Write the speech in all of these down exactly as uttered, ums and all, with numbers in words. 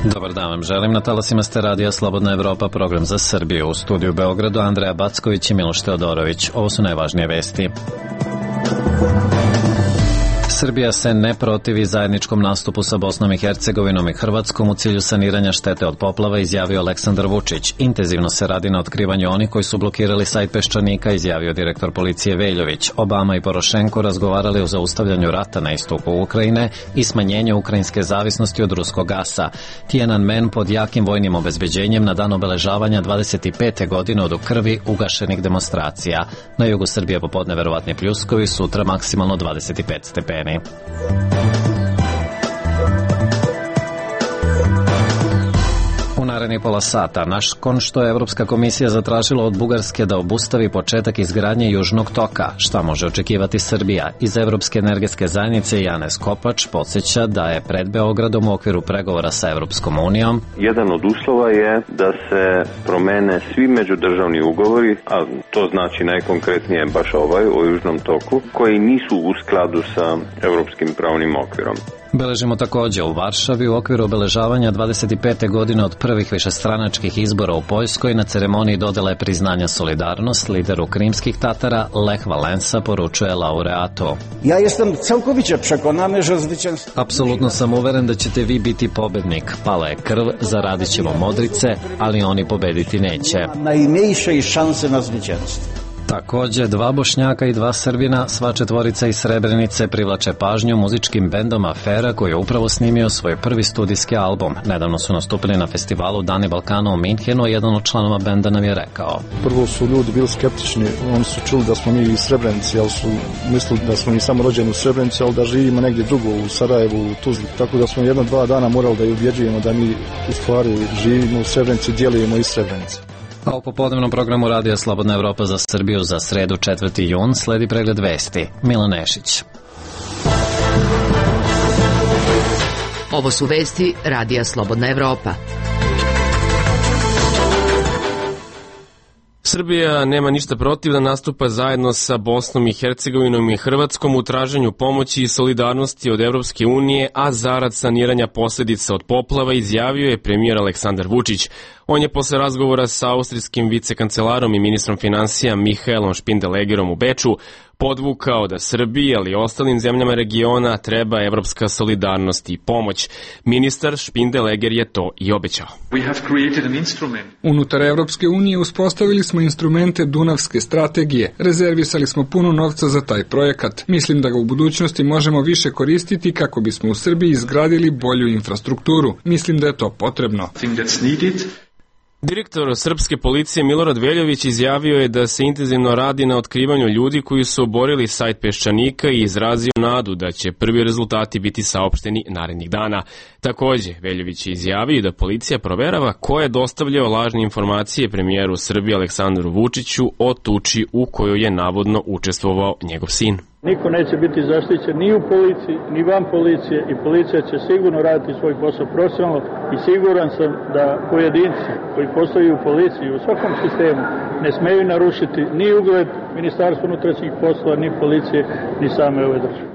Dobar dan vam želim, na talasima ste radija Slobodna Evropa, program za Srbiju. U studiju u Beogradu Andreja Backović i Miloš Teodorović. Ovo su najvažnije vesti. Srbija se ne protivi zajedničkom nastupu sa Bosnom i Hercegovinom i Hrvatskom u cilju saniranja štete od poplava, izjavio Aleksandar Vučić. Intenzivno se radi na otkrivanju onih koji su blokirali sajt Peščanika, izjavio direktor policije Veljović. Obama i Porošenko razgovarali o zaustavljanju rata na istoku Ukrajine i smanjenju ukrajinske zavisnosti od ruskog gasa. Tiananmen pod jakim vojnim obezbeđenjem na dan obeležavanja dvadeset pete godine od u krvi ugašenih demonstracija. Na jugu Srbije popodne verovatni pljuskovi, sutra maksimalno dvadeset pet stepeni. U narednih pola sata, nakon što je Evropska komisija zatražila od Bugarske da obustavi početak izgradnje Južnog toka, šta može očekivati Srbija? Iz Evropske energetske zajednice Janez Kopač podsjeća da je pred Beogradom u okviru pregovora sa Evropskom unijom. Jedan od uslova je da se promene svi međudržavni ugovori, a to znači najkonkretnije baš ovaj o Južnom toku, koji nisu u skladu sa evropskim pravnim okvirom. Beležimo također u Varšavi u okviru obeležavanja dvadeset pete godine od prvih višestranačkih izbora u Poljskoj. Na ceremoniji dodele priznanja Solidarnost lideru krimskih Tatara Lech Valensa poručuje laureatu. Ja jestem całkowicie przekonany, że zwycięstwo... Apsolutno sam uveren da ćete vi biti pobednik. Pala je krv, zaradit ćemo modrice, ali oni pobediti neće. Najmniejszej šanse na zwycięstwo. Također, dva Bošnjaka i dva Srbina, sva četvorica iz Srebrenice, privlače pažnju muzičkim bendom Afera koji je upravo snimio svoj prvi studijski album. Nedavno su nastupili na festivalu Dani Balkana u Minhenu, a jedan od članova benda nam je rekao. Prvo su ljudi bili skeptični, oni su čuli da smo mi iz Srebrenice, ali su mislili da smo mi samo rođeni u Srebrenici, ali da živimo negdje drugo, u Sarajevu, u Tuzli. Tako da smo jedno dva dana morali da je ubjeđujemo da mi u stvari živimo u Srebrenici, djelujemo iz Srebrenice. A u popodnevnom programu Radija Slobodna Evropa za Srbiju za sredu četvrti jun sledi pregled vesti. Milan Nešić. Ovo su vesti Radija Slobodna Evropa. Srbija nema ništa protiv da nastupa zajedno sa Bosnom i Hercegovinom i Hrvatskom u traženju pomoći i solidarnosti od Evropske unije, a zarad saniranja posljedica od poplava, izjavio je premijer Aleksandar Vučić. On je posle razgovora sa austrijskim vicekancelarom i ministrom finansija Mihaelom Špindelegerom u Beču podvukao da Srbiji, ali i ostalim zemljama regiona treba evropska solidarnost i pomoć. Ministar Špindeleger je to i obećao. Unutar Evropske unije uspostavili smo instrumente Dunavske strategije. Rezervisali smo puno novca za taj projekat. Mislim da ga u budućnosti možemo više koristiti kako bismo u Srbiji izgradili bolju infrastrukturu. Mislim da je to potrebno. Direktor srpske policije Milorad Veljović izjavio je da se intenzivno radi na otkrivanju ljudi koji su oborili sajt Peščanika i izrazio nadu da će prvi rezultati biti saopšteni narednih dana. Također, Veljović je izjavio da policija proverava ko je dostavljao lažne informacije premijeru Srbije Aleksandru Vučiću o tuči u kojoj je navodno učestvovao njegov sin. Niko neće biti zaštićen ni u policiji, ni van policije i policija će sigurno raditi svoj posao profesionalno i siguran sam da pojedinci koji postoji u policiji u svakom sistemu ne smeju narušiti ni ugled Ministarstva unutrašnjih poslova, ni policije, ni same ove države.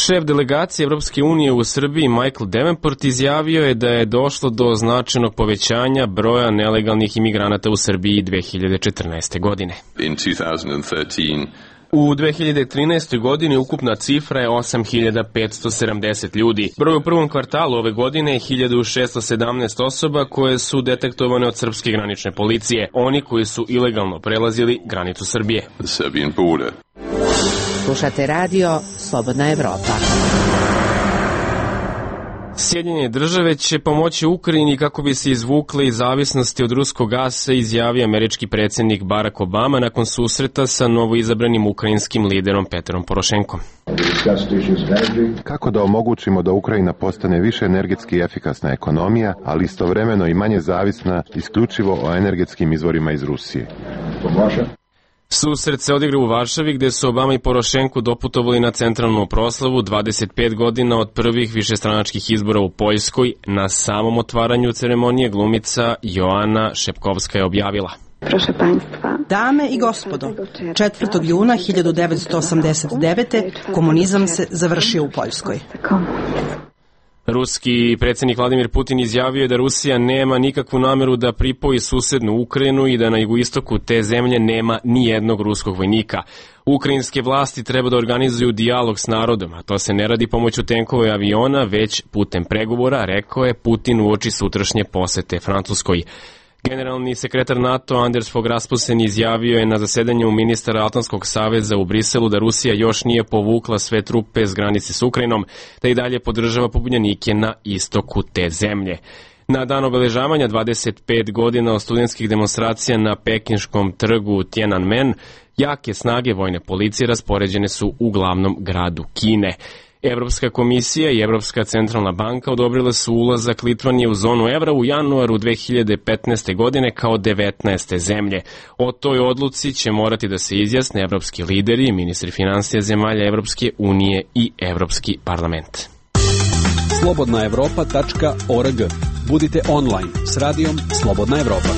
Šef delegacije Evropske unije u Srbiji Michael Davenport izjavio je da je došlo do značajnog povećanja broja nelegalnih imigranata u Srbiji dve hiljade četrnaeste. godine. In two thousand thirteen U dve hiljade trinaestoj. godini ukupna cifra je osam hiljada petsto sedamdeset ljudi. Broj u prvom kvartalu ove godine je hiljadu šesto sedamnaest osoba koje su detektovane od srpske granične policije, oni koji su ilegalno prelazili granicu Srbije. Slušate radio Slobodna Evropa. Sjedinjene države će pomoći Ukrajini kako bi se izvukle iz zavisnosti od ruskog gasa, izjavio američki predsjednik Barack Obama nakon susreta sa novoizabranim ukrajinskim liderom Petrom Porošenkom. Kako da omogućimo da Ukrajina postane više energetski efikasna ekonomija, ali istovremeno i manje zavisna isključivo o energetskim izvorima iz Rusije? Susret se odigra u Varšavi gdje su Obama i Porošenko doputovali na centralnu proslavu dvadeset pet godina od prvih višestranačkih izbora u Poljskoj. Na samom otvaranju ceremonije glumica Joana Šepkovska je objavila. Proszę Państwa. Dame i gospodo, četvrtog juna hiljadu devetsto osamdeset devete. komunizam se završio u Poljskoj. Ruski predsjednik Vladimir Putin izjavio je da Rusija nema nikakvu nameru da pripoji susednu Ukrajinu i da na jugoistoku te zemlje nema ni jednog ruskog vojnika. Ukrajinske vlasti treba da organizuju dijalog s narodom, a to se ne radi pomoću tenkova i aviona, već putem pregovora, rekao je Putin uoči sutrašnje posete Francuskoj. Generalni sekretar NATO Anders Fogh Rasmussen izjavio je na zasedanju ministara Atlantskog saveza u Briselu da Rusija još nije povukla sve trupe s granice s Ukrajinom, da i dalje podržava pobunjenike na istoku te zemlje. Na dan obeležavanja dvadeset pet godina od studentskih demonstracija na pekinškom trgu Tiananmen, jake snage vojne policije raspoređene su u glavnom gradu Kine. Evropska komisija i Evropska centralna banka odobrile su ulazak Litvanije u zonu evra u januaru dve hiljade petnaeste. godine kao devetnaeste zemlje. O toj odluci će morati da se izjasne evropski lideri, ministri finansija zemalja Evropske unije i Evropski parlament. slobodna evropa tačka org. Budite online s radijom Slobodna Evropa.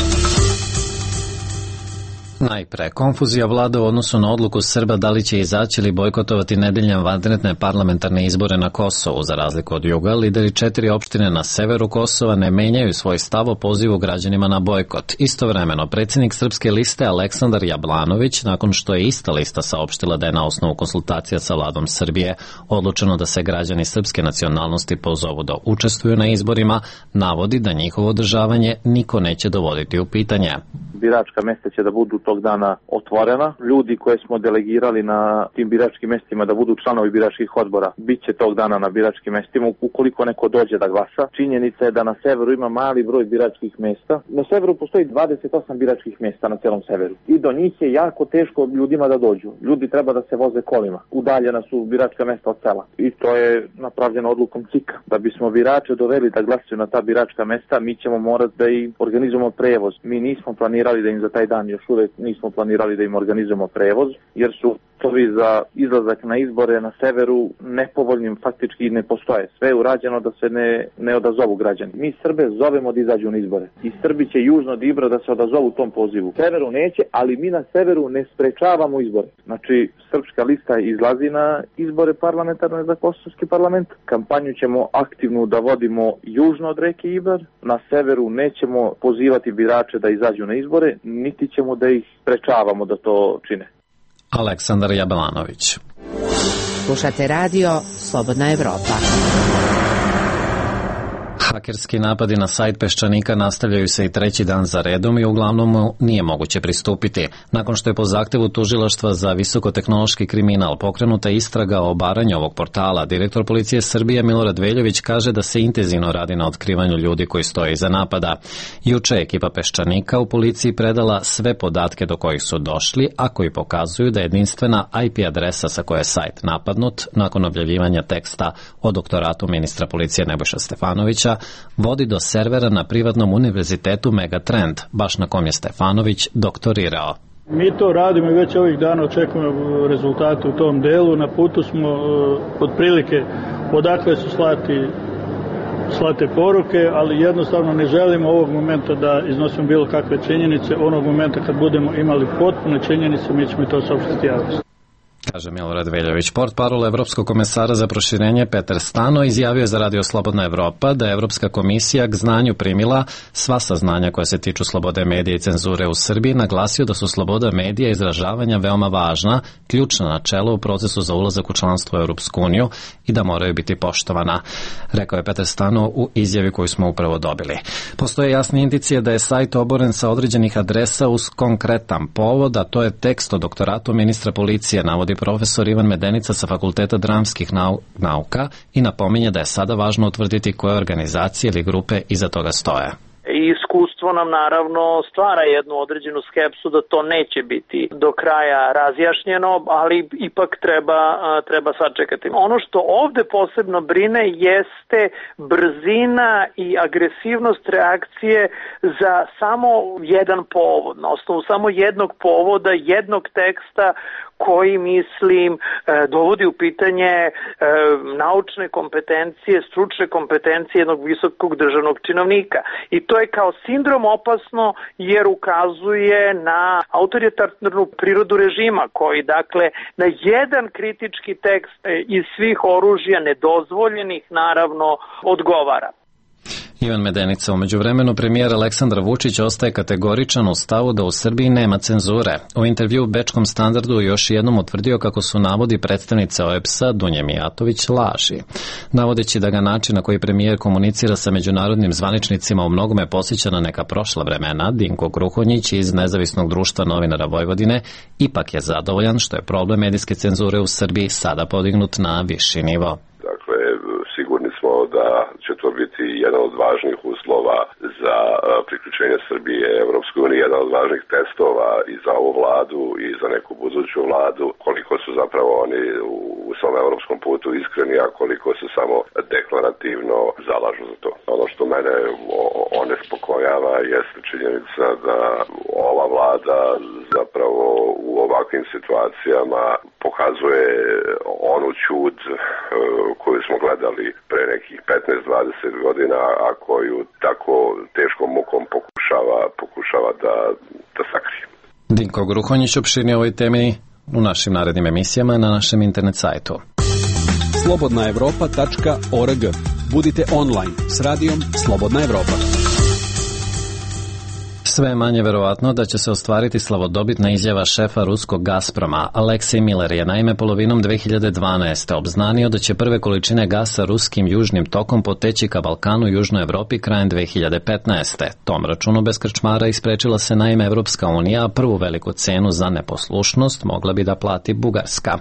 Najpre, konfuzija vlada u odnosu na odluku Srba da li će izaći ili bojkotovati nedeljne vanredne parlamentarne izbore na Kosovu. Za razliku od juga, lideri četiri opštine na severu Kosova ne menjaju svoj stav o pozivu građanima na bojkot. Istovremeno, predsjednik Srpske liste Aleksandar Jablanović, nakon što je ista lista saopštila da je na osnovu konsultacija sa vladom Srbije odlučeno da se građani srpske nacionalnosti pozovu da učestvuju na izborima, navodi da njihovo održavanje niko neće dovoditi u pitanje. Biračka mesta će da budu tog dana otvorena. Ljudi koje smo delegirali na tim biračkim mestima da budu članovi biračkih odbora, bit će tog dana na biračkim mestima ukoliko neko dođe da glasa. Činjenica je da na severu ima mali broj biračkih mesta. Na severu postoji dvadeset osam biračkih mesta na celom severu. I do njih je jako teško ljudima da dođu. Ljudi treba da se voze kolima. Udaljena su biračka mesta od sela. I to je napravljeno odlukom C I K-a. Da bismo birače doveli da glasaju na ta biračka mesta, mi ćemo morati da im organizujemo prevoz. Mi nismo planirali da im za taj dan još uvek nismo planirali da im organizujemo prevoz, jer su tovi za izlazak na izbore na severu nepovoljnim faktički ne postoje. Sve je urađeno da se ne, ne odazovu građani. Mi Srbe zovemo da izađu na izbore. I Srbi će južno od Ibra da se odazovu tom pozivu. Severu neće, ali mi na severu ne sprečavamo izbore. Znači, Srpska lista izlazi na izbore parlamentarne za kosovski parlament. Kampanju ćemo aktivnu da vodimo južno od reke Ibar. Na severu nećemo pozivati birače da izađu na izbore, niti ćemo da ih sprečavamo da to čine. Aleksandar Jablanović. Slušate radio Slobodna Evropa. Hakerski napadi na sajt Peščanika nastavljaju se i treći dan za redom i uglavnom mu nije moguće pristupiti. Nakon što je po zahtevu Tužilaštva za visokotehnološki kriminal pokrenuta istraga o obaranju ovog portala, direktor policije Srbije Milorad Veljović kaže da se intenzivno radi na otkrivanju ljudi koji stoje iza napada. Juče je ekipa Peščanika u policiji predala sve podatke do kojih su došli, a koji pokazuju da je jedinstvena I P adresa sa koje je sajt napadnut nakon objavljivanja teksta o doktoratu ministra policije Nebojša Stefanovića vodi do servera na privatnom univerzitetu Megatrend, baš na kom je Stefanović doktorirao. Mi to radimo i već ovih dana očekujemo rezultate u tom delu. Na putu smo uh, otprilike odakle su slati slate poruke, ali jednostavno ne želimo ovog momenta da iznosimo bilo kakve činjenice. Onog momenta kad budemo imali potpune činjenice, mi ćemo to saopštiti javnosti. Kaže Milorad Veljović. Portparol Evropskog komesara za proširenje Petar Stano izjavio za Radio Slobodna Evropa da je Evropska komisija k znanju primila sva saznanja koja se tiču slobode medija i cenzure u Srbiji, naglasio da su sloboda medija i izražavanja veoma važna, ključna načela u procesu za ulazak u članstvo u Europsku uniju i da moraju biti poštovana, rekao je Petar Stano u izjavi koju smo upravo dobili. Postoje jasne indicije da je sajt oboren sa određenih adresa uz konkretan povod, a to je tekst o doktoratu ministra policije, navodi profesor Ivan Medenica sa Fakulteta dramskih nauka i napominje da je sada važno utvrditi koje organizacije ili grupe iza toga stoje. I iskustvo nam naravno stvara jednu određenu skepsu da to neće biti do kraja razjašnjeno, ali ipak treba, treba sačekati. Ono što ovde posebno brine jeste brzina i agresivnost reakcije za samo jedan povod, na osnovu samo jednog povoda, jednog teksta koji, mislim, dovodi u pitanje naučne kompetencije, stručne kompetencije jednog visokog državnog činovnika. I što je kao sindrom opasno jer ukazuje na autoritarnu prirodu režima koji dakle na jedan kritički tekst iz svih oružja nedozvoljenih naravno odgovara. Ivan Medenica. Umeđu vremenu premijer Aleksandar Vučić ostaje kategoričan u stavu da u Srbiji nema cenzure. U intervju u Bečkom standardu još jednom utvrdio kako su navodi predstavnice O E B S-a Dunje Mijatović laži. Navodeći da ga način na koji premijer komunicira sa međunarodnim zvaničnicima u mnogome posjeća na neka prošla vremena, Dinko Gruhonjić iz Nezavisnog društva novinara Vojvodine ipak je zadovoljan što je problem medijske cenzure u Srbiji sada podignut na viši nivo. Dakle, sigurni smo da će to biti jedan od važnih uslova za priključenje Srbije Evropskoj uniji, jedan od važnih testova i za ovu vladu i za neku buduću vladu, koliko su zapravo oni u svom evropskom putu iskreni, a koliko se samo deklarativno zalažu za to. Ono što mene onespokojava jeste činjenica da ova vlada zapravo u ovakvim situacijama pokazuje onu ćud koju smo gledali pre nekih petnaest dvadeset godina, a koju tako teškom mukom pokušava, pokušava da, da sakrije. Dinko Gruhonjić opširnije ovoj temi u našim narednim emisijama na našem internet sajtu. slobodna evropa tačka org. Budite online s radijom Slobodna Evropa. Sve je manje verovatno da će se ostvariti slavodobitna izjava šefa ruskog Gazproma. Aleksej Miller je naime polovinom dve hiljade dvanaeste. obznanio da će prve količine gasa ruskim južnim tokom poteći ka Balkanu i Južnoj Evropi krajem dve hiljade petnaeste. Tom računu bez krčmara isprečila se naime Evropska unija, a prvu veliku cenu za neposlušnost mogla bi da plati Bugarska.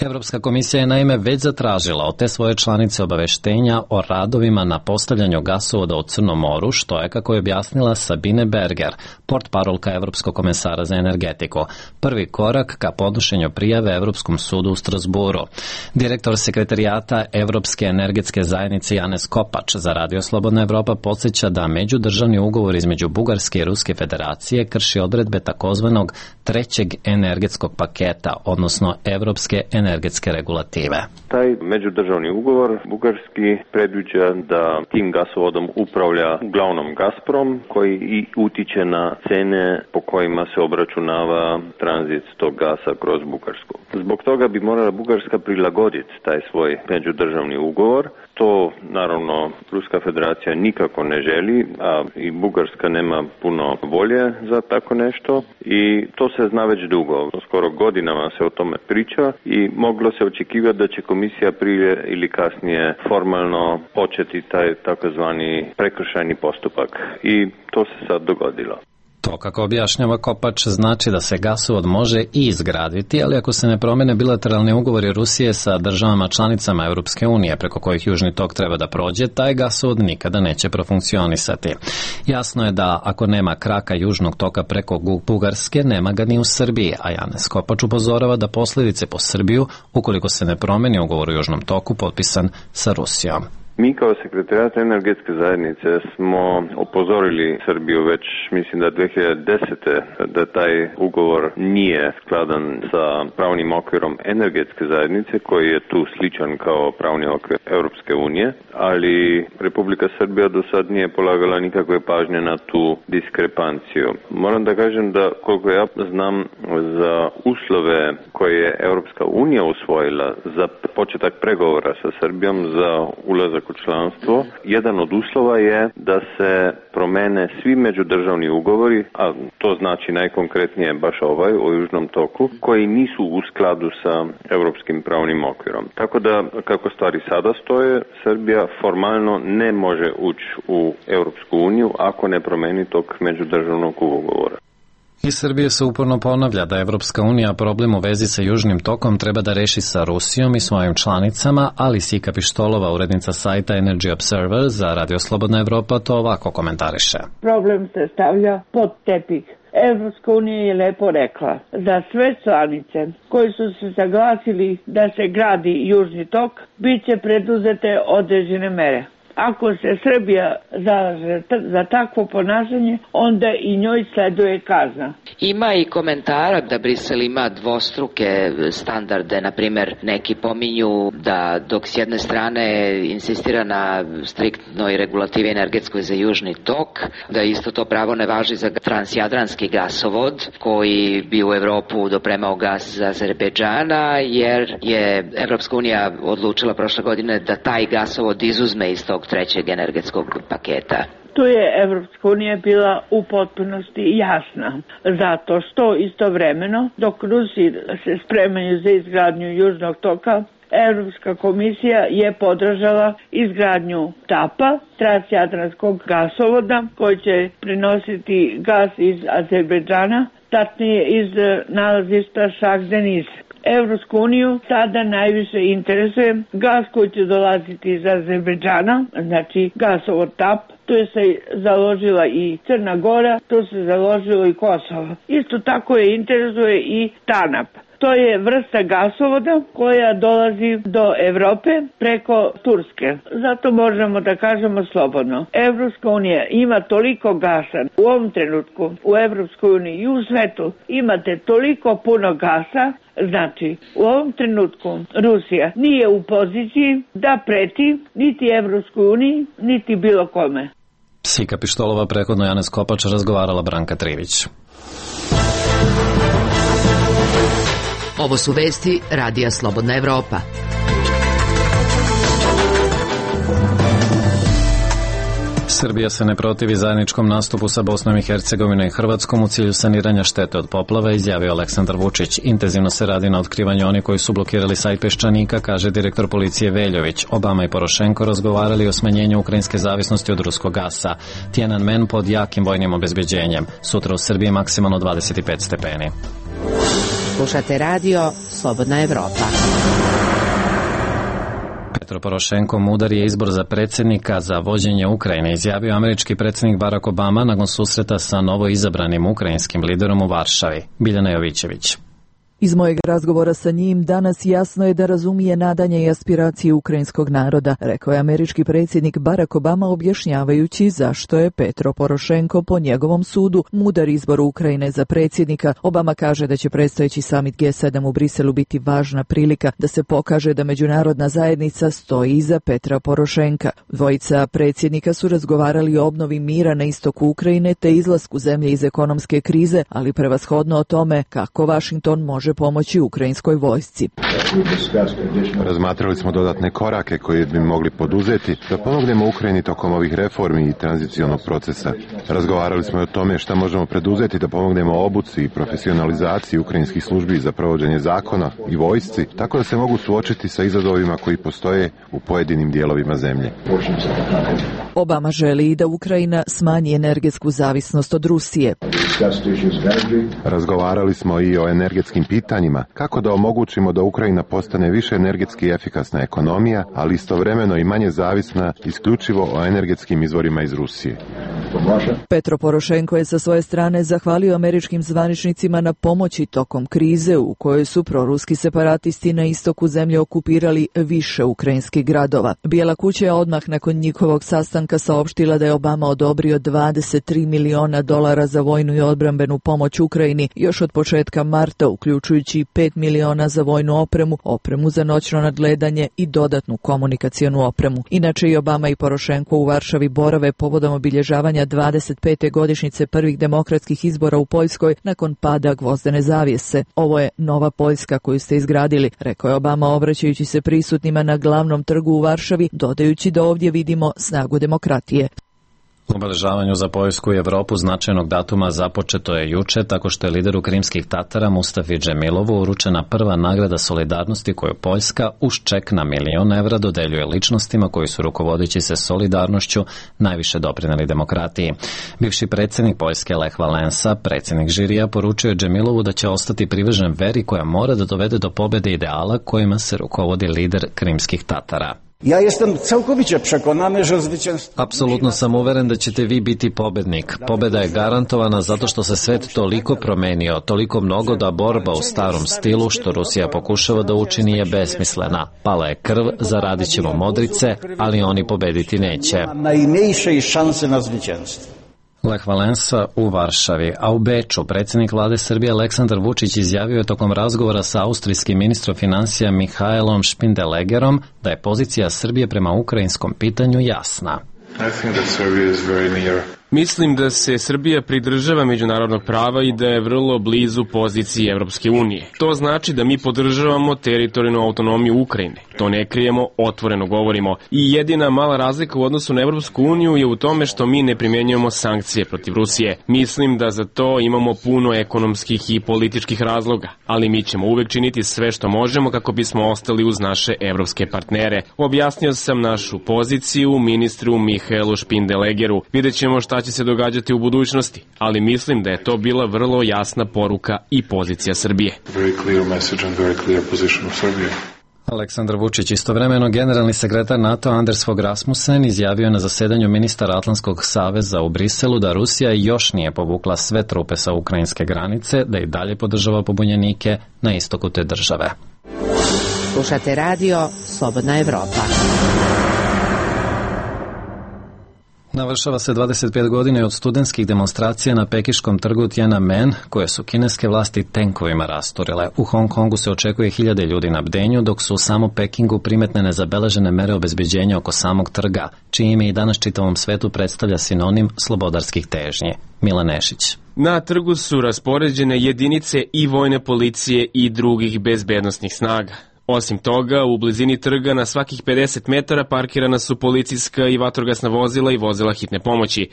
Evropska komisija je naime već zatražila od te svoje članice obaveštenja o radovima na postavljanju gasovoda u Crnom moru, što je, kako je objasnila Sabine Berger, portparolka Evropskog komesara za energetiku, prvi korak ka podnošenju prijave Evropskom sudu u Strasburu. Direktor sekretarijata Evropske energetske zajednice Janez Kopač za Radio Slobodna Evropa podsjeća da međudržavni ugovor između Bugarske i Ruske federacije krši odredbe takozvanog trećeg energetskog paketa, odnosno Evropske energetske regulative. Taj međudržavni ugovor bugarski predviđa da tim gasovodom upravlja uglavnom Gazprom, koji i utiče na cene po kojima se obračunava tranzit tog gasa kroz Bugarsku. Zbog toga bi morala Bugarska prilagoditi taj svoj međudržavni ugovor. To, naravno, Ruska federacija nikako ne želi, a i Bugarska nema puno volje za tako nešto i to se zna već dugo. Skoro godinama se o tome priča i moglo se očekivati da će komisija prije ili kasnije formalno početi taj takozvani prekršajni postupak i to se sad dogodilo. To, kako objašnjava Kopač, znači da se gasovod može i izgraditi, ali ako se ne promene bilateralni ugovori Rusije sa državama članicama Europske unije preko kojih Južni tok treba da prođe, taj gasovod nikada neće profunkcionisati. Jasno je da ako nema kraka Južnog toka preko Bugarske, nema ga ni u Srbiji, a Janez Kopač upozorava da posljedice po Srbiju, ukoliko se ne promeni ugovor u Južnom toku potpisan sa Rusijom. Mi kao sekretarijat energetske zajednice smo upozorili Srbiju već, mislim da dve hiljade desete. da taj ugovor nije skladan sa pravnim okvirom energetske zajednice, koji je tu sličan kao pravni okvir Europske unije, ali Republika Srbija do sad nije polagala nikakve pažnje na tu diskrepanciju. Moram da kažem da, koliko ja znam, za uslove koje je Europska unija usvojila za početak pregovora sa Srbijom za ulazak u članstvo, jedan od uslova je da se promene svi međudržavni ugovori, a to znači najkonkretnije baš ovaj o Južnom toku, koji nisu u skladu sa europskim pravnim okvirom. Tako da, kako stvari sada stoje, Srbija formalno ne može ući u Europsku uniju ako ne promeni tog međudržavnog ugovora. Iz Srbije se uporno ponavlja da Evropska unija problem u vezi sa Južnim tokom treba da reši sa Rusijom i svojim članicama, ali Sika Pištolova, urednica sajta Energy Observer za Radio Slobodna Evropa, to ovako komentariše. Problem se stavlja pod tepih. Evropska unija je lepo rekla da sve članice koji su se saglasili da se gradi Južni tok, bit će preduzete određene mere. Ako se Srbija zalaže za takvo ponašanje, onda i njoj sleduje kazna. Ima i komentara da Brisel ima dvostruke standarde, na primjer neki pominju da dok s jedne strane insistira na striktnoj regulativi energetskoj za južni tok, da isto to pravo ne važi za transjadranski gasovod koji bi u Evropu dopremao gas za Azerbejdžana, jer je Evropska unija odlučila prošle godine da taj gasovod izuzme iz tog trećeg energetskog paketa. Tu je Evropska unija bila u potpunosti jasna, zato što istovremeno, dok Rusi se spremaju za izgradnju južnog toka, Evropska komisija je podržala izgradnju TAP-a, transjadranskog gasovoda, koji će prenositi gas iz Azerbejdžana, tačnije iz nalazišta Šah-Deniz. Evropsku uniju sada najviše interesuje gas koji će dolaziti iz Azerbejdžana, znači gasovod TAP. Tu je se založila i Crna Gora, tu se založilo i Kosovo. Isto tako je interesuje i TANAP. To je vrsta gasovoda koja dolazi do Evrope preko Turske. Zato možemo da kažemo slobodno. Evropska unija ima toliko gasa u ovom trenutku u Evropskoj uniji i u svetu imate toliko puno gasa. Znači, u ovom trenutku Rusija nije u poziciji da preti niti Evropskoj uniji, niti bilo kome. Sika Pištolova, prethodno Janez Kopač, razgovarala Branka Trivić. Ovo su vesti Radija Slobodna Evropa. Srbija se ne protivi zajedničkom nastupu sa Bosnom i Hercegovinom i Hrvatskom u cilju saniranja štete od poplava, izjavio Aleksandar Vučić. Intenzivno se radi na otkrivanju onih koji su blokirali sajt Peščanika, kaže direktor policije Veljović. Obama i Porošenko razgovarali o smanjenju ukrajinske zavisnosti od ruskog gasa. Tiananmen pod jakim vojnim obezbeđenjem. Sutra u Srbiji maksimalno dvadeset pet stepeni. Slušate radio Slobodna Evropa. Petro Porošenko mudar je izbor za predsjednika za vođenje Ukrajine, izjavio američki predsjednik Barack Obama nakon susreta sa novo izabranim ukrajinskim liderom u Varšavi. Biljana Jovićević. Iz mojeg razgovora sa njim danas jasno je da razumije nadanje i aspiracije ukrajinskog naroda, rekao je američki predsjednik Barack Obama objašnjavajući zašto je Petro Porošenko po njegovom sudu mudar izbor Ukrajine za predsjednika. Obama kaže da će predstojeći samit G sedam u Briselu biti važna prilika da se pokaže da međunarodna zajednica stoji iza Petra Porošenka. Dvojica predsjednika su razgovarali o obnovi mira na istoku Ukrajine te izlasku zemlje iz ekonomske krize, ali prevashodno o tome kako Washington može pomoći ukrajinskoj vojsci. Razmatrali smo dodatne korake koje bi mogli poduzeti da pomognemo Ukrajini tokom ovih reformi i tranzicionog procesa. Razgovarali smo i o tome šta možemo preduzeti da pomognemo obuci i profesionalizaciji ukrajinskih službi za provođenje zakona i vojsci, tako da se mogu suočiti sa izazovima koji postoje u pojedinim dijelovima zemlje. Obama želi da Ukrajina smanji energetsku zavisnost od Rusije. Razgovarali smo i o energetskim pitanjima, kako da omogućimo da Ukrajina postane više energetski efikasna ekonomija, ali istovremeno i manje zavisna isključivo o energetskim izvorima iz Rusije. Petro Porošenko je sa svoje strane zahvalio američkim zvaničnicima na pomoći tokom krize u kojoj su proruski separatisti na istoku zemlje okupirali više ukrajinskih gradova. Bijela kuća je odmah nakon njihovog sastanka saopštila da je Obama odobrio dvadeset tri miliona dolara za vojnu i odbrambenu pomoć Ukrajini još od početka marta, uključujući pet miliona za vojnu opremu, opremu za noćno nadgledanje i dodatnu komunikacionu opremu. Inače i Obama i Porošenko u Varšavi borave povodom obilježavanja dvadeset pete godišnjice prvih demokratskih izbora u Poljskoj nakon pada gvozdene zavjese. Ovo je nova Poljska koju ste izgradili, rekao je Obama obraćajući se prisutnima na glavnom trgu u Varšavi, dodajući da ovdje vidimo snagu demokratije. Obeležavanju za Poljsku i Evropu značajnog datuma započeto je juče tako što je lideru krimskih Tatara Mustafi Džemilovu uručena prva nagrada solidarnosti koju Poljska uz ček na milion evra dodeljuje ličnostima koji su rukovodeći se solidarnošću najviše doprinijeli demokratiji. Bivši predsjednik Poljske Lech Valensa, predsjednik žirija, poručio je Džemilovu da će ostati privržen veri koja mora da dovede do pobjede ideala kojima se rukovodi lider krimskih Tatara. Ja jestem całkowicie przekonany, że zwycięstwo... Apsolutno sam uveren da ćete vi biti pobednik. Pobeda je garantovana zato što se svet toliko promenio, toliko mnogo da borba u starom stilu što Rusija pokušava da učini je besmislena. Pala je krv, zaradit ćemo modrice, ali oni pobediti neće. Najmniejszej šanse na zwycięstwo. Lech Valensa u Varšavi, a u Beču predsjednik vlade Srbije Aleksandar Vučić izjavio je tokom razgovora sa austrijskim ministrom financija Mihaelom Špindelegerom da je pozicija Srbije prema ukrajinskom pitanju jasna. I think that Serbia is very near. Mislim da se Srbija pridržava međunarodnog prava i da je vrlo blizu poziciji Evropske unije. To znači da mi podržavamo teritorijalnu autonomiju Ukrajine. To ne krijemo, otvoreno govorimo. I jedina mala razlika u odnosu na Evropsku uniju je u tome što mi ne primjenjujemo sankcije protiv Rusije. Mislim da za to imamo puno ekonomskih i političkih razloga, ali mi ćemo uvek činiti sve što možemo kako bismo ostali uz naše evropske partnere. Objasnio sam našu poziciju ministru Mihaelu Špindelegeru. Vidjet ćemo šta će se događati u budućnosti, ali mislim da je to bila vrlo jasna poruka i pozicija Srbije. Aleksandar Vučić, istovremeno generalni sekretar NATO Anders Fogh Rasmussen izjavio na zasedanju ministara Atlantskog saveza u Briselu da Rusija još nije povukla sve trupe sa ukrajinske granice, da i dalje podržava pobunjenike na istoku te države. Slušate radio Slobodna Evropa. Navršava se dvadeset pet godina od studentskih demonstracija na pekiškom trgu Tiananmen, koje su kineske vlasti tenkovima rasturile. U Hong Kongu se očekuje hiljade ljudi na bdenju, dok su u samo Pekingu primetne nezabeležene mere obezbeđenja oko samog trga, čije ime i danas čitavom svetu predstavlja sinonim slobodarskih težnji. Mila Nešić. Na trgu su raspoređene jedinice i vojne policije i drugih bezbednosnih snaga. Osim toga, u blizini trga na svakih pedeset metara parkirana su policijska i vatrogasna vozila i vozila hitne pomoći.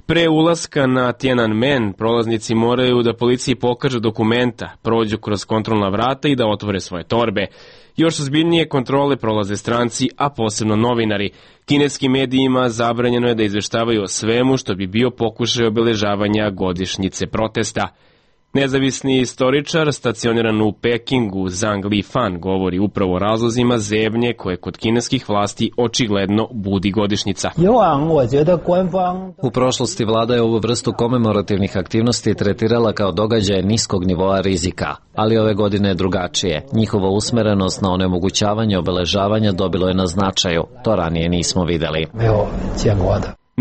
Pre ulaska na Tiananmen prolaznici moraju da policiji pokažu dokumenta, prođu kroz kontrolna vrata i da otvore svoje torbe. Još ozbiljnije kontrole prolaze stranci, a posebno novinari. Kineskim medijima zabranjeno je da izveštavaju o svemu što bi bio pokušaj obeležavanja godišnjice protesta. Nezavisni istoričar stacioniran u Pekingu Zhang Lifan govori upravo o razlozima zebnje koje kod kineskih vlasti očigledno budi godišnjica. U prošlosti vlada je ovu vrstu komemorativnih aktivnosti tretirala kao događaje niskog nivoa rizika, ali ove godine je drugačije. Njihova usmerenost na onemogućavanje obeležavanja dobilo je na značaju. To ranije nismo videli.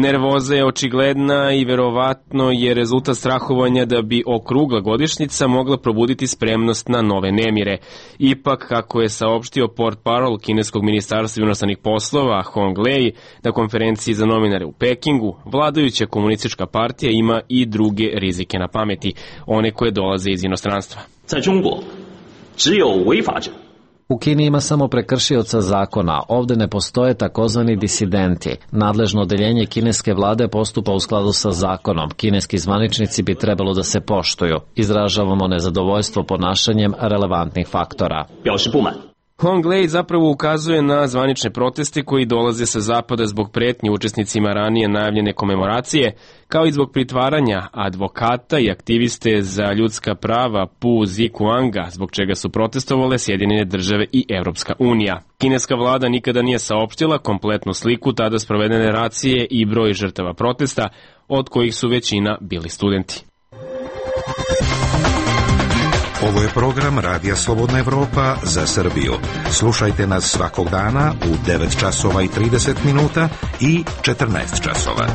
Nervoza je očigledna i verovatno je rezultat strahovanja da bi okrugla godišnjica mogla probuditi spremnost na nove nemire. Ipak, kako je saopštio portparol kineskog ministarstva inostranih poslova Hong Lei na konferenciji za novinare u Pekingu, vladajuća komunistička partija ima i druge rizike na pameti, one koje dolaze iz inostranstva. U Kini ima samo prekršioca zakona, ovde ne postoje takozvani disidenti. Nadležno odeljenje kineske vlade postupa u skladu sa zakonom. Kineski zvaničnici bi trebalo da se poštuju. Izražavamo nezadovoljstvo ponašanjem relevantnih faktora. Hong Lei zapravo ukazuje na zvanične proteste koji dolaze sa zapada zbog pretnje učesnicima ranije najavljene komemoracije, kao i zbog pritvaranja advokata i aktiviste za ljudska prava Pu Zikuanga, zbog čega su protestovale Sjedinjene države i Evropska unija. Kineska vlada nikada nije saopštila kompletnu sliku tada sprovedene racije i broj žrtava protesta, od kojih su većina bili studenti. Ovo je program Radija Slobodna Evropa za Srbiju. Slušajte nas svakog dana u devet časova i trideset minuta i četrnaest časova.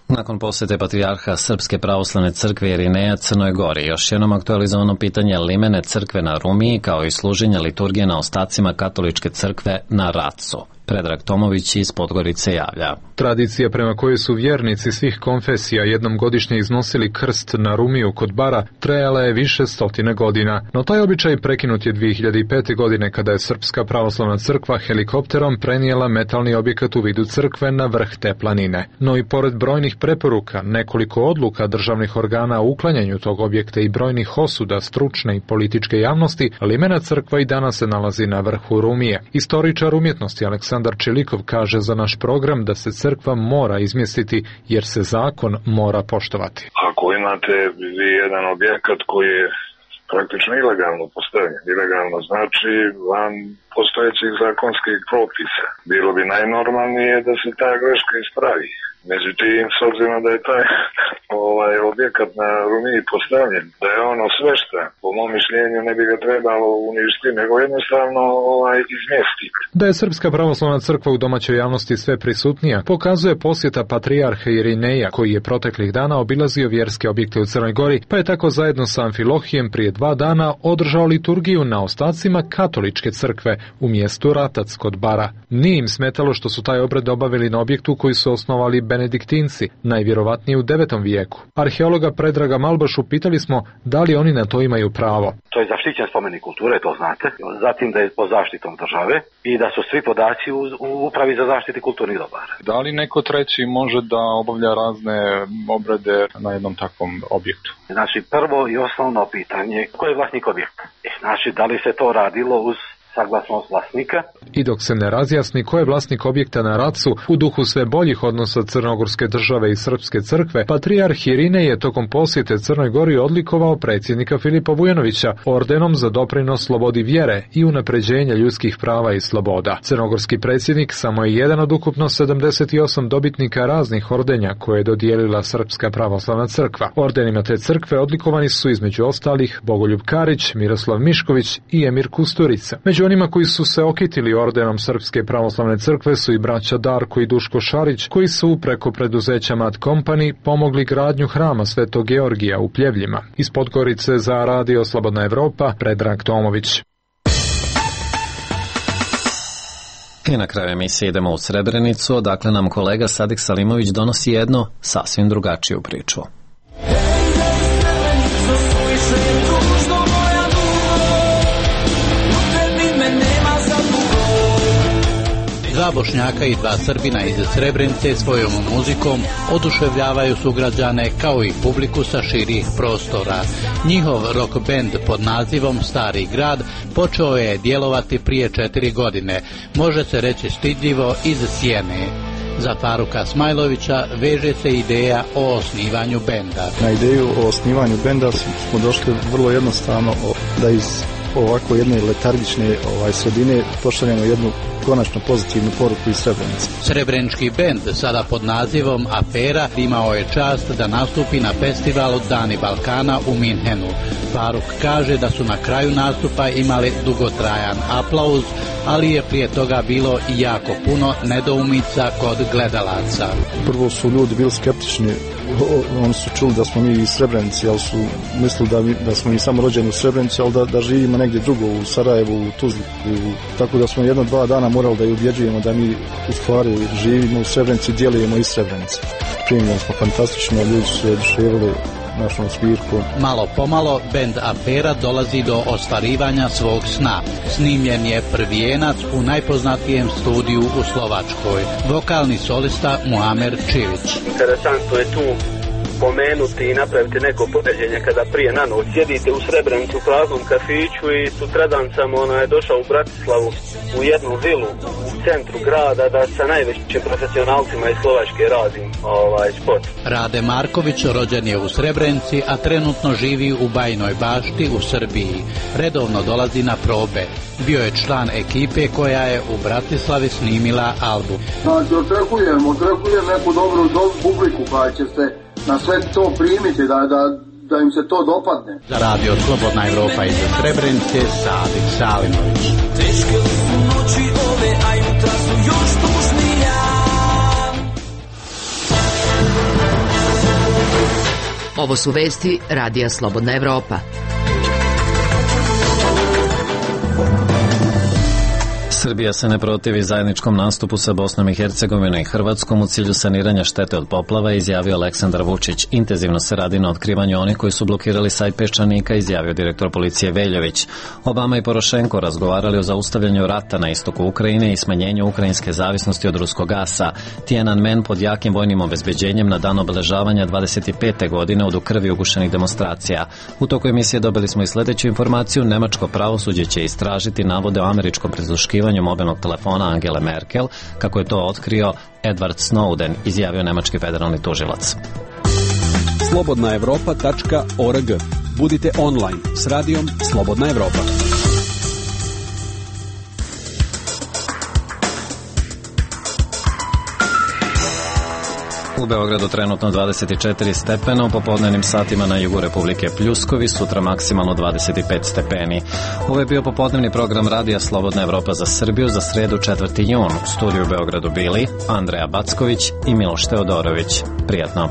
Nakon posete patrijarha Srpske pravoslavne crkve Irineja Crnoj Gori, još jednom aktualizovano pitanje limene crkve na Rumiji, kao i služenja liturgije na ostacima katoličke crkve na Racu. Predrag Tomović iz Podgorice javlja. Tradicija prema kojoj su vjernici svih konfesija jednom godišnje iznosili krst na Rumiju kod Bara trajala je više stotine godina, no taj običaj prekinut je dve hiljade pete. godine kada je Srpska pravoslavna crkva helikopterom prenijela metalni objekat u vidu crkve na vrh te planine. No i pored brojnih preporuka, nekoliko odluka državnih organa o uklanjanju tog objekta i brojnih osuda stručne i političke javnosti, limena crkva i danas se nalazi na vrhu Rumije. Istoričar umjetnosti Aleksandar Čilikov kaže za naš program da se crkva mora izmjestiti jer se zakon mora poštovati. Ako imate jedan objekat koji je praktično ilegalno postavljen. Ilegalno znači van postojećih zakonskih propisa. Bilo bi najnormalnije da se ta greška ispravi. Međutim, s obzirom da je taj ovaj, objekat na Rumiji postavljen, da je ono svešta, po mom mišljenju ne bi ga trebalo uništiti, nego jednostavno ovaj, izmjestiti. Da je Srpska pravoslavna crkva u domaćoj javnosti sve prisutnija, pokazuje posjeta patrijarha Irineja, koji je proteklih dana obilazio vjerske objekte u Crnoj Gori, pa je tako zajedno sa Amfilohijem prije dva dana održao liturgiju na ostacima katoličke crkve u mjestu Ratac kod Bara. Nije im smetalo što su taj obred obavili na objektu koji su osnovali benediktinci, najvjerovatnije u devetom vijeku. Arheologa Predraga Malbašu pitali smo da li oni na to imaju pravo. To je zaštićen spomenik kulture, to znate. Zatim da je pod zaštitom države i da su svi podaci u, u upravi za zaštitu kulturnih dobara. Da li neko treći može da obavlja razne obrede na jednom takvom objektu? Znači, prvo i osnovno pitanje, ko je vlasnik objekta? Znači, da li se to radilo uz saglasnost vlasnika. I dok se ne razjasni ko je vlasnik objekta na Racu, u duhu sve boljih odnosa Crnogorske države i Srpske crkve, patrijarh Irinej je tokom posjete Crnoj Gori odlikovao predsjednika Filipa Vujanovića ordenom za doprinos slobodi vjere i unapređenja ljudskih prava i sloboda. Crnogorski predsjednik samo je jedan od ukupno sedamdeset osam dobitnika raznih ordenja koje je dodijelila Srpska pravoslavna crkva. Ordenima te crkve odlikovani su između ostalih Bogoljub Karić, Miroslav Mišković i Emir Kusturica. Među onima koji su se okitili ordenom Srpske pravoslavne crkve su i braća Darko i Duško Šarić, koji su preko preduzeća Mat Company pomogli gradnju hrama Svetog Georgija u Pljevljima. Iz Podgorice za Radio Slobodna Evropa, Predrag Tomović. I na kraju emisije idemo u Srebrenicu, odakle nam kolega Sadik Salimović donosi jednu sasvim drugačiju priču. Dva Bošnjaka i dva Srbina iz Srebrenice svojom muzikom oduševljavaju sugrađane kao i publiku sa širih prostora. Njihov rock band pod nazivom Stari grad počeo je djelovati prije četiri godine, može se reći stidljivo iz Sjene. Za Faruka Smajlovića veže se ideja o osnivanju benda. Na ideju o osnivanju benda smo došli vrlo jednostavno da iz ovako jedne letargične ovaj, sredine pošaljemo jednu konačno pozitivnu poruku iz Srebrenice. Srebrenički bend, sada pod nazivom Afera, imao je čast da nastupi na festivalu Dani Balkana u Minhenu. Faruk kaže da su na kraju nastupa imali dugotrajan aplauz, ali je prije toga bilo i jako puno nedoumica kod gledalaca. Prvo su ljudi bili skeptični, oni su čuli da smo mi iz Srebrenici, ali su mislili da, mi, da smo mi samo rođeni u Srebrenici, ali da, da živimo negdje drugo, u Sarajevu, u Tuzli. U, tako da smo jedno, dva dana morali da ju ubjeđujemo da mi u stvari živimo u Srebrenici, djelujemo iz Srebrenice. Primljeni smo fantastično, ljudi su se oduševili našom svirkom. Malo pomalo bend Afera dolazi do ostvarivanja svog sna. Snimljen je prvijenac u najpoznatijem studiju u Slovačkoj. Vokalni solista Muamer Čivić. Interesantno je tu pomenuti i napraviti neko poređenje kada prije na noć sjedite u Srebrenicu u praznom kafiću i sutradan sam ono je došao u Bratislavu u jednu vilu u centru grada da sa najvećim profesionalcima iz Slovačke radim ovaj spot. Rade Marković rođen je u Srebrenici, a trenutno živi u Bajinoj Bašti u Srbiji. Redovno dolazi na probe. Bio je član ekipe koja je u Bratislavi snimila album. Znači, očekujem, očekujem neku dobru, dobru publiku koja će se na sve to primiti, da, da, da im se to dopadne. Za Radio Slobodna Evropa iz Srebrenice, Sadik Salimović. Teške su noći ove, a jutra su još tužnija. Ovo su vesti Radija Slobodna Evropa. Srbija se ne protivi zajedničkom nastupu sa Bosnom i Hercegovinom i Hrvatskom u cilju saniranja štete od poplava, izjavio Aleksandar Vučić. Intenzivno se radi na otkrivanju onih koji su blokirali sajt Peščanika, izjavio direktor policije Veljović. Obama i Porošenko razgovarali o zaustavljanju rata na istoku Ukrajine i smanjenju ukrajinske zavisnosti od ruskog gasa. Tiananmen pod jakim vojnim obezbeđenjem na dan obeležavanja dvadeset pete godine od u krvi ugušenih demonstracija. U toku emisije dobili smo i sljedeću informaciju. Nemačko pravosuđe će istražiti navode o američkom prisluškivanju mobilnog telefona Angele Merkel, kako je to otkrio Edward Snowden, izjavio nemački federalni tužilac. slobodna evropa tačka org. Budite online s radijom Slobodna Evropa. U Beogradu trenutno dvadeset četiri stepena, u popodnevnim satima na jugu Republike Pljuskovi, sutra maksimalno dvadeset pet stepeni. Ovo je bio popodnevni program Radija Slobodna Evropa za Srbiju za sredu četvrti jun. U studiju u Beogradu bili Andreja Backović i Miloš Teodorović. Prijatno.